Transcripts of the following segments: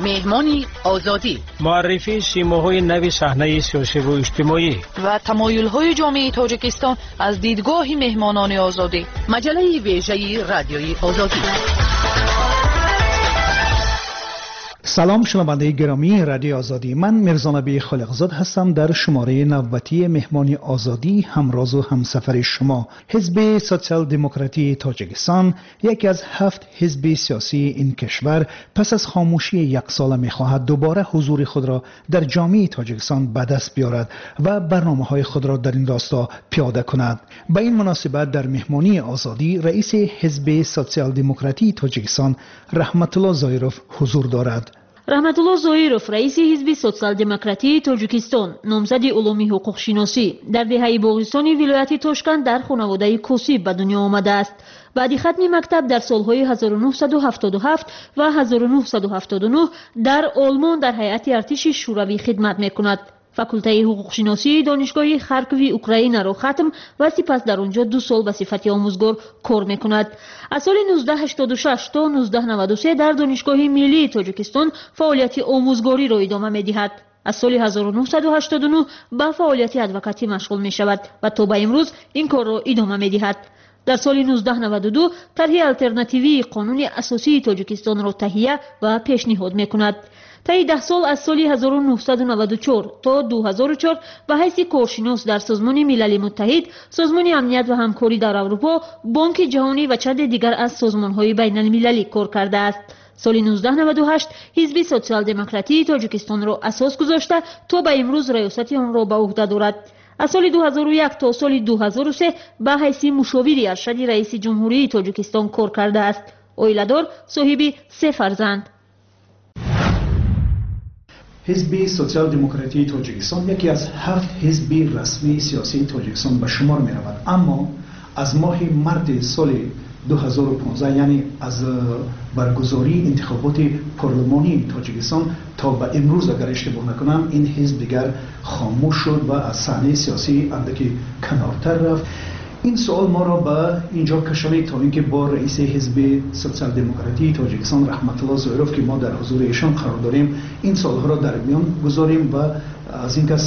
Меҳмони Озодӣ. Муаррифии симоҳои нави саҳнаи сиёсиву иҷтимоӣ ва тамоюлҳои ҷомеаи Тоҷикистон аз дидгоҳи меҳмонони Озодӣ. Маҷаллаи вежаи Радиои Озодӣ. Салом, шунавандаи гиромии Радиои Озодӣ. Ман Мирзонаби Холиқзод ҳастам. Дар шумораи навбатии Меҳмони Озодӣ ҳамрозу ҳамсафари шумо. Ҳизби Социал-демократии Тоҷикистон, яке аз ҳафт ҳизби сиёсии ин кишвар, пас аз хомӯшии яксола мехоҳад дубора ҳузури худро дар ҷомеаи Тоҷикистон ба даст биёрад ва барномаҳои худро дар ин росто пиёда кунад. Ба ин муносибат дар Меҳмонии Озодӣ раиси Ҳизби Социал-демократии Тоҷикистон Раҳматулло Зоиров ҳузур дорад. Раҳматулло Зоиров, раиси Ҳизби Социал-демократии Тоҷикистон, номзади улуми ҳуқуқшиносӣ, дар деҳаи Боғистони вилояти Тошканд дар хонаводаи косиб ба дунё омадааст. Баъди хатми мактаб дар солҳои 1977 ва 1979 дар Олмон дар ҳайати артиши Шӯравӣ хидмат мекунад. Факултаи ҳуқуқшиносии Донишгоҳи Харкови Украинаро хатм ва сипас дар он ҷо 2 сол ба сифати омӯзгор кор мекунад. Аз соли 1986 то 1993 дар Донишгоҳи Миллии Тоҷикистон фаъолияти омӯзгориро идома медиҳад. Аз соли 1989 ба фаъолияти адвокатӣ машғул мешавад ва то ба имрӯз ин корро идома медиҳад. Дар соли 1992 тарҳи алтернативии Қонуни асосии Тоҷикистонро таҳия ва пешниҳод мекунад. Таи 10 сол, аз соли 1994 то 2004, ба ҳайси коршинос дар Созмони Милали Муттаҳид, Созмони амният ва ҳамкорӣ дар Аврупо, Бонки Ҷаҳонӣ ва чанде дигар аз созмонҳои байналмилалӣ кор кардааст. Соли 1998 Ҳизби Социал-демократии Тоҷикистонро асос гузошта, то ба имрӯз раёсати онро ба уҳда дорад. Аз соли 2001 то соли 2003 ба ҳайси мушовири аршади раиси Ҷумҳурии Тоҷикистон кор кардааст. Оиладор, соҳиби 3 фарзанд. Ҳизби Социал-демократии Тоҷикистон яке аз ҳафт ҳизби расмии сиёсии Тоҷикистон ба шумор меравад, аммо аз моҳи марти соли 2015, яъне аз баргузории интихоботи парлумонии Тоҷикистон то ба имрӯз, агар иштибоҳ накунам, ин ҳизб дигар хомӯш шуд ва аз саҳнаи сиёсӣ андаке канортар рафт. Ин суол моро ба инҷо кашонид, то инки бо раиси Ҳизби Социал-демократии Тоҷикистон Раҳматулло Зоиров, ки мо дар ҳузури эшон қарор дорем, ин суолҳоро дар миён гузорем ва аз ин кас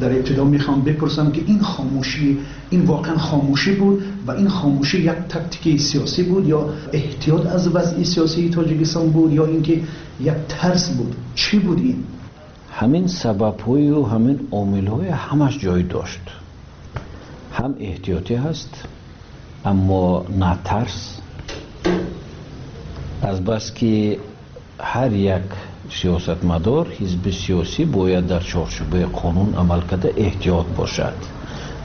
дар ибтидо мехоҳам бипурсам, ки ин хомӯшӣ, ин воқеан хомӯшӣ буд ва ин хомӯшӣ як тактики сиёсӣ буд ё эҳтиёт аз вазъи сиёсии Тоҷикистон буд ё инки як тарс буд? Чӣ буд ин? Ҳамин сабабҳою ҳамин омилҳои ҳамаш ҷой дошт. Ҳам эҳтиётӣ ҳаст, аммо на тарс. Азбаски ҳар як сиёсатмадор, ҳизби сиёсӣ бояд дар чорчӯбаи қонун амал карда эҳтиёт бошад,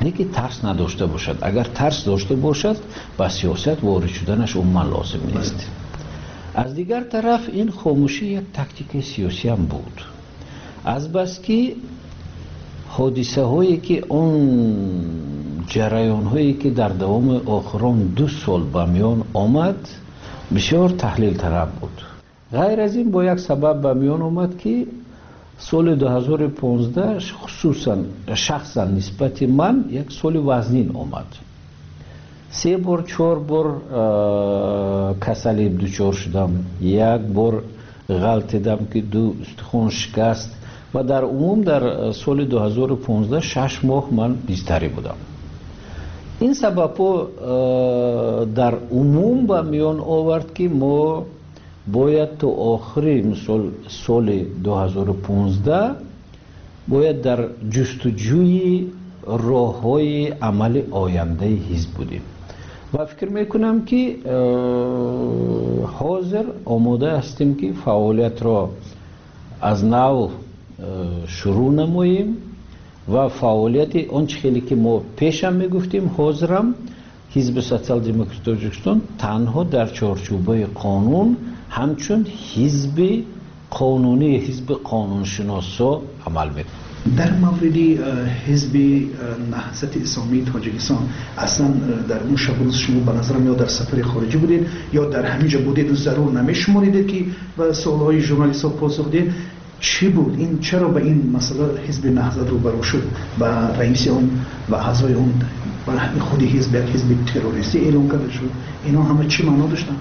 лекин тарс надошта бошад. Агар тарс дошта бошад, ба сиёсат ворид шуданаш умуман лозим нест. Аз дигар тараф, ин хомӯшӣ як тактикаи сиёсиам буд. Азбаски ҳодисаҳое ки он ҷараёнҳое ки дар давоми охирон 2 сол ба миён омад, бисёр таҳлилталаб буд. Ғайр аз ин, бо як сабаб ба миён омад, ки соли 2015 хусусан шахсан нисбати ман як соли вазнин омад. 3 бор, 4 бор касалӣ дучор шудам, як бор ғалтидам, ки 2 устухон шикаст ва дар умум дар соли 2015 6 моҳ ман бистарӣ будам. Ин сабабҳо дар умум ба миён овард, ки мо бояд то охири мисол соли 2015 бояд дар ҷустуҷӯи роҳҳои амали ояндаи ҳизб будем ва фикр мекунам, ки ҳозир омода ҳастем, ки фаъолиятро аз нав шурӯъ намоем ва фаъолияти он чӣ хеле ки мо пешам мегуфтем, ҳозирам Ҳизби Социал-демократи Тоҷикистон танҳо дар чорчӯбаи қонун ҳамчун ҳизби қонунӣ, ҳизби қонуншиносо амал мекунад. Дар мавриди Ҳизби Наҳзати Исломии Тоҷикистон, аслан дар он шабу рӯз шумо, ба назарам, ё дар сафари хориҷӣ будед, ё дар ҳамин ҷо будед, зарур намешуморидед, ки ба суолҳои журналистҳо посух диҳед. Чӣ буд ин? Чаро ба ин масъала Ҳизби Наҳзат рӯбарӯ шуд ва раиси он ва аъзои он ва худи ҳизб як ҳизби террористӣ эълон карда шуд? Ино ҳама чӣ маъно доштанд?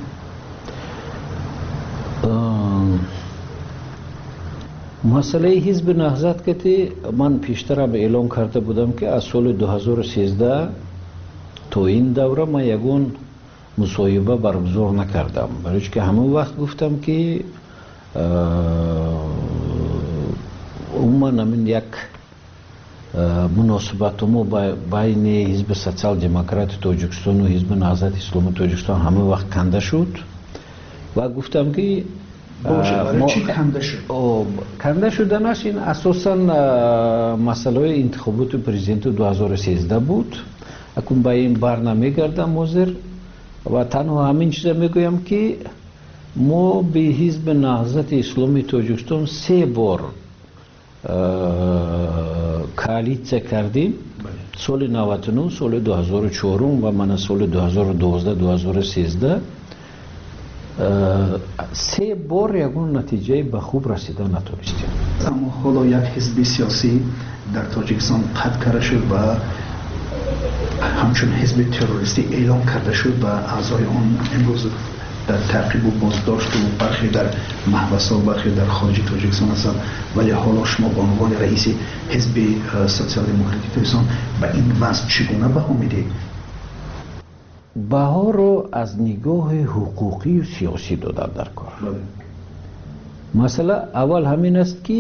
Масъалаи ҳизби Наҳзат ки ман пештарам эълон карда будам, ки аз соли 2013 то ин давра ман ягон мусоҳиба баргузор накардам, барои ки ҳамон вақт гуфтам, ки умуман ҳамин як муносибати мо байни ҳизби Социал-демократи Тоҷикистону ҳизби Наҳзати Исломии Тоҷикистон ҳамон вақт канда шуд ва гуфтам, ки канда шуданаш ин асосан масъалаҳои интихоботи президенти 2013 буд. Акун ба ин бар намегардам ҳозир ва танҳо ҳамин чиза мегӯям, ки мо бе ҳизби Наҳзати Исломии Тоҷикистон се бор коалитсия кардем: соли 99, соли 2004 ва мана соли 2012, 2013. Се бор ягон натиҷаи ба хуб расида натонистем. Аммо ҳоло як ҳизби сиёсӣ дар Тоҷикистон қатъ карда шуд ва ҳамчун ҳизби террористӣ эълон карда шуд ва аъзои он имрӯз дар таъқибу боздошту бархе дар маҳбасҳо, бархе дар хориҷи Тоҷикистон ҳастанд. Вале ҳоло шумо ба унвони раиси ҳизби Социал-демократии Тоҷикистон ба ин вазъ чӣ гуна баҳо медиҳед? Баҳоро аз нигоҳи ҳуқуқию сиёсӣ додам дар кор. Масъала аввал ҳамин аст, ки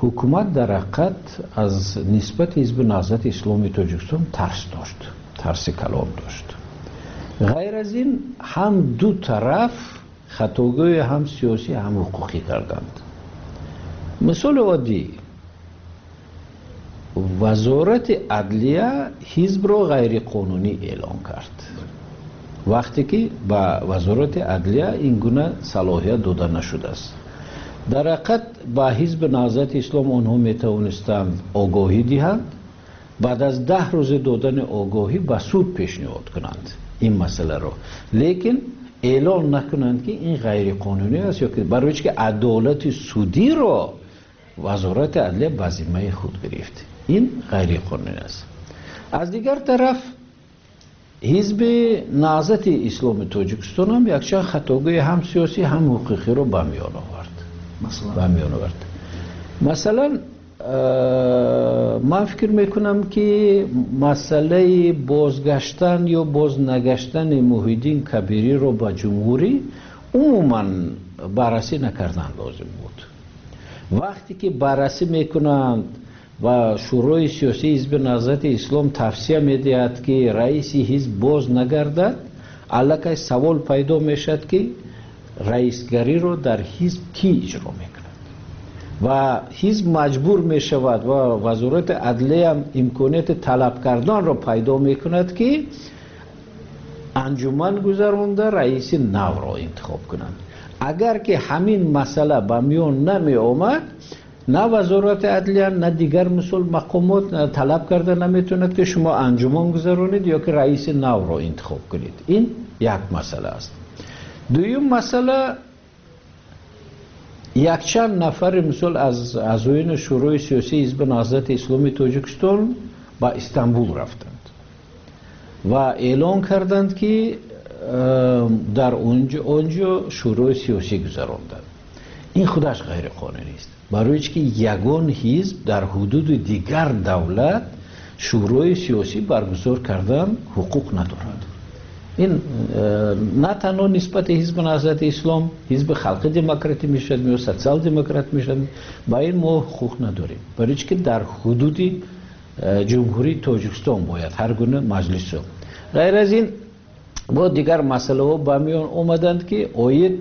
ҳукумат дар ҳақиқат аз нисбати ҳизби Наҳзати Исломии Тоҷикистон тарс дошт, тарси калон дошт. Ғайр аз ин, ҳам ду тараф хатогӯи ҳам сиёсӣ, ҳам ҳуқуқӣ карданд. Мисоли оддӣ: Вазорати адлия ҳизбро ғайриқонунӣ эълон кард, вақте ки ба Вазорати адлия ин гуна салоҳият дода нашудааст. Дар ҳақиқат, ба ҳизби Наҳзати Ислом онҳо метавонистанд огоҳӣ диҳанд, баъд аз 10 рӯзи додани огоҳӣ ба суд пешниҳод кунанд ин масъаларо, лекин эълон накунанд, ки ин ғайриқонунӣ аст, ё ки барои чи ки адолати судиро Вазорати адлия ба зиммаи худ гирифт. Ин ғайриқонунӣ аст. Аз дигар тараф, ҳизби Наҳзати Исломи Тоҷикистон ҳам якчанд хатогӯи ҳам сиёсӣ, ҳам ҳуқуқиро ба миён овард. Масалан, ман фикр мекунам, ки масъалаи бозгаштан ё бознагаштани Муҳиддин Кабириро ба ҷумҳурӣ умуман баррасӣ накардан лозим буд. Вақте ки баррасӣ мекунанд ва Шӯрои сиёсии ҳизби Наҳзати Ислом тавсия медиҳад, ки раиси ҳизб боз нагардад, аллакай савол пайдо мешавад, ки раисгариро дар ҳизб кӣ иҷро мекунад, ва ҳизб маҷбур мешавад ва Вазорати адлияам имконияти талаб карданро пайдо мекунад, ки анҷуман гузаронда раиси навро интихоб кунанд. Агар ки ҳамин масъала ба миён намеомад, на Вазорати адлия, на дигар мисол мақомот талаб карда наметавонад, ки шумо анҷуман гузаронед ё ки раиси навро интихоб кунед. Ин як масъала аст. Дуюм масъала: якчанд нафари мисол аз аъзоёни Шӯрои сиёсии ҳизби Наҳзати Исломии Тоҷикистон ба Истанбул рафтанд ва эълон карданд, ки дар онҷо шӯрои сиёсӣ гузаронданд. Ин худаш ғайриқонунӣ аст, барои чи ки ягон ҳизб дар ҳудуди дигар давлат шӯрои сиёсӣ баргузор кардан ҳуқуқ надорад. Ин на танҳо нисбати ҳизби Наҳзати Ислом, ҳизби Халқи Демократӣ мешавад ё Социал Демократ мешавад, ба ин мо ҳуқуқ надорем, барои чи ки дар ҳудуди Ҷумҳурии Тоҷикистон бояд ҳар гуна маҷлисо. Ғайр аз ин, бо дигар масъалаҳо ба миён омаданд, ки оид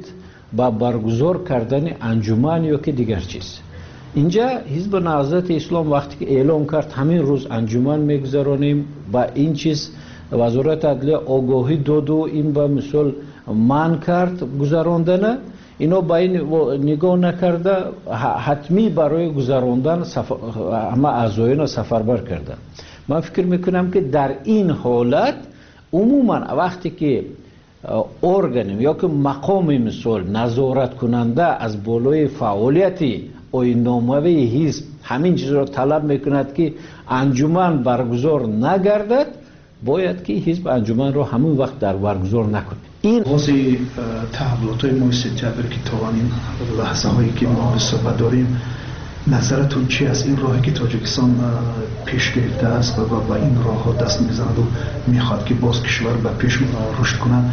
ба баргузор кардани анҷуман ё ки дигар чиз. Инҷа ҳизби Наҳзати Ислом вақте ки эълон кард, ҳамин рӯз анҷуман мегузаронем, ба ин чиз Вазорати адлия огоҳӣ доду ин ба мисол манъ кард гузарондана. Ино ба ин нигоҳ накарда, ҳатмӣ барои гузарондан ҳама аъзоёнро сафарбар карданд. Ман фикр мекунам, ки дар ин ҳолат умуман вақте ки орган ё ки мақоми мисол назораткунанда аз болои фаъолияти оинномавии ҳизб ҳамин чизро талаб мекунад, ки анҷуман баргузор нагардад, бояд ки ҳизб анҷуманро ҳамон вақт дар баргузор накунад. Ин оғози таҳаввулотҳои моҳи сентябр, ки то ин лаҳзаҳое ки мо суҳбат дорем, назаратон чи аст? Ин роҳе ки Тоҷикистон пеш гирифтааст ва ба ин роҳҳо даст мезанаду мехоҳад, ки боз кишвар ба пеш рушд кунад,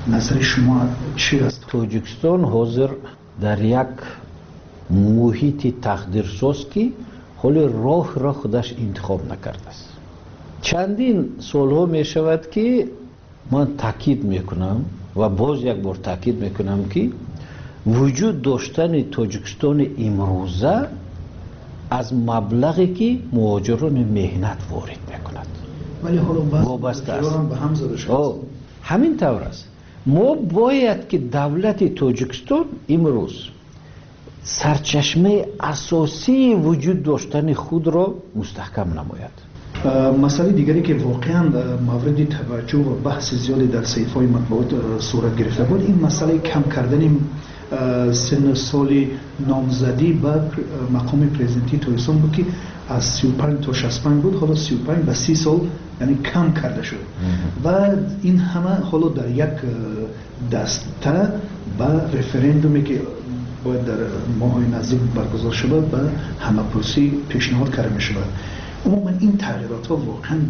назари шумо чи аст? Тоҷикистон ҳозир дар як муҳити тақдирсоз, ки ҳоли роҳро худаш интихоб накардааст. Чандин солҳо мешавад, ки ман таъкид мекунам ва боз як бор таъкид мекунам, ки вуҷуд доштани Тоҷикистони имрӯза аз маблағе, ки муҳоҷирони меҳнат ворид мекунад, вале ҳоло вобаста аст. Ба ҳам зада шудааст. Ҳамин тавр аст. Мо бояд ки давлати Тоҷикистон имрӯз сарчашмаи асосии вуҷуд доштани худро мустаҳкам намояд. Масъалаи дигаре, ки воқеан мавриди таваҷҷӯҳ ва баҳси зиёде дар саҳифаҳои матбуот сурат гирифта буд, ин масъалаи кам кардани синну соли номзадӣ ба мақоми президентии Тоҷикистон буд, ки аз 35 то 65 буд, ҳоло 35 ба 30 сол, яъне кам карда шуд. Ва ин ҳама ҳоло дар як даста ба референдуме, ки бояд дар моҳҳои наздик баргузор шавад, ба ҳамапурсӣ пешниҳод карда мешавад. Умуман ин тағйиротҳо воқеан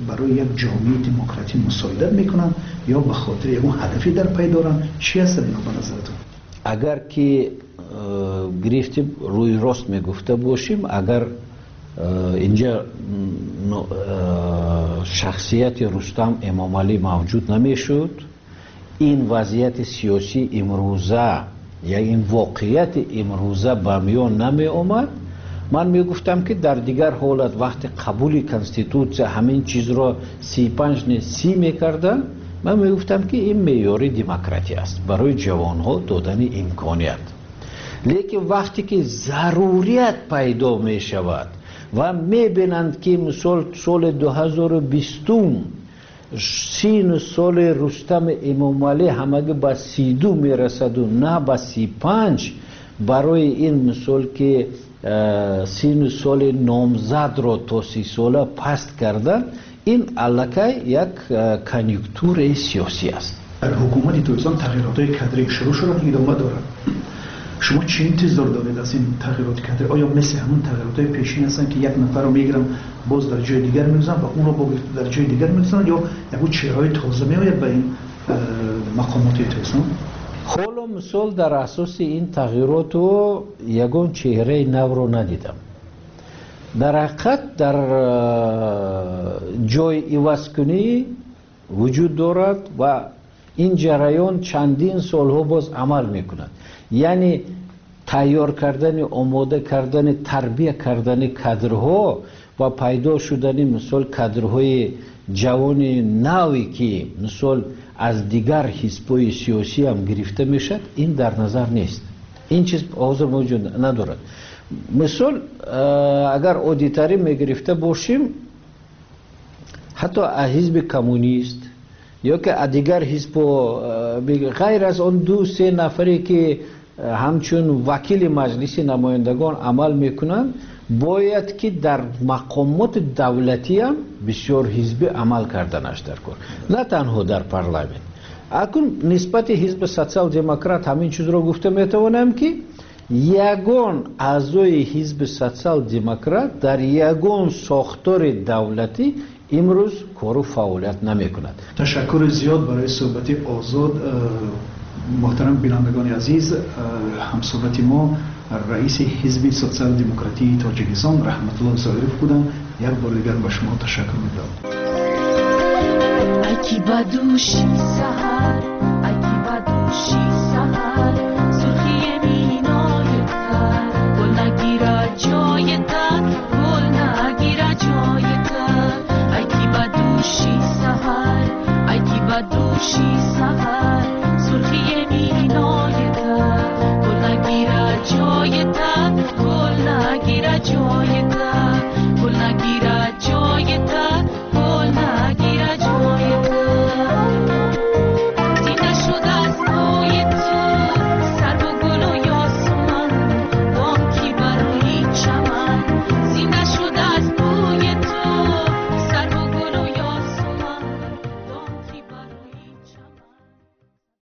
барои як ҷомеаи демократӣ мусоидат мекунанд ё ба хотири ягон ҳадафе дар пай доранд? Чӣ ҳастанд инҳо ба назаратон? Агар ки гирифтем, рӯи рост мегуфта бошем, агар инҷа шахсияти Рустам Эмомалӣ мавҷуд намешуд, ин вазъияти сиёсии имрӯза я ин воқеияти имрӯза ба миён намеомад, ман мегуфтам, ки дар дигар ҳолат, вақти қабули конститутсия ҳамин чизро 35 не, 30 мекарданд, ман мегуфтам, ки ин меъёри демократия аст барои ҷавонҳо додани имконият. Лекин вақте ки зарурият пайдо мешавад ва мебинанд, ки мисол соли 2020 сину соли Рустами Эмомалӣ ҳамагӣ ба 32 мерасаду на ба 35, барои ин мисол ки сину соли номзадро то 30сола паст кардан, ин аллакай як конъюнктураи сиёсӣ аст. Дар ҳукумати Тоҷикистон тағйиротҳои кадрӣ шурӯъ шуданд, идома дорад. Шумо чӣ интизор доред аз ин тағйироти кадрӣ? Оё мисли ҳамон тағйиротҳои пешин ҳастанд, ки як нафарро мегиранд, боз дар ҷои дигар мегузоранд ва онро дар ҷои дигар мегузоранд, ё ягон чеҳраҳои тоза меояд ба ин мақомоти Тоҷикистон? Ҳоло мисол дар асоси ин тағйироту ягон чеҳраи навро надидам. Дар ҳақиқат дар ҷои ивазкунӣ вуҷуд дорад ва ин ҷараён чандин солҳо боз амал мекунад, яъне тайёр кардани, омода кардани, тарбия кардани кадрҳо ва пайдо шудани мисол кадрҳои ҷавони наве, ки мисол аз дигар ҳизбҳои сиёсӣ ҳам гирифта мешавад, ин дар назар нест. Ин чиз ҳозир мавҷуд надорад. Мисол агар оддитарин мегирифта бошем, ҳатто аз ҳизби коммунист ё ки аз дигар ҳизбҳо, ғайр аз он ду се нафаре, ки ҳамчун вакили Маҷлиси намояндагон амал мекунанд, бояд ки дар мақомоти давлатиам бисёр ҳизбӣ амал карданаш дар кор, на танҳо дар парламент. Акун нисбати ҳизби Социал-демократ ҳамин чизро гуфта метавонам, ки ягон аъзои ҳизби Социал-демократ дар ягон сохтори давлатӣ имрӯз кору фаъолият намекунад. Ташаккури зиёд барои суҳбати озод. Муҳтарам бинандагони азиз, ҳамсуҳбати мо раиси ҳизби Социал-демократии Тоҷикистон Раҳматулло Зоиров буданд. Як бор дигар ба шумо ташаккур мекунам. Ки ба дӯши саҳар.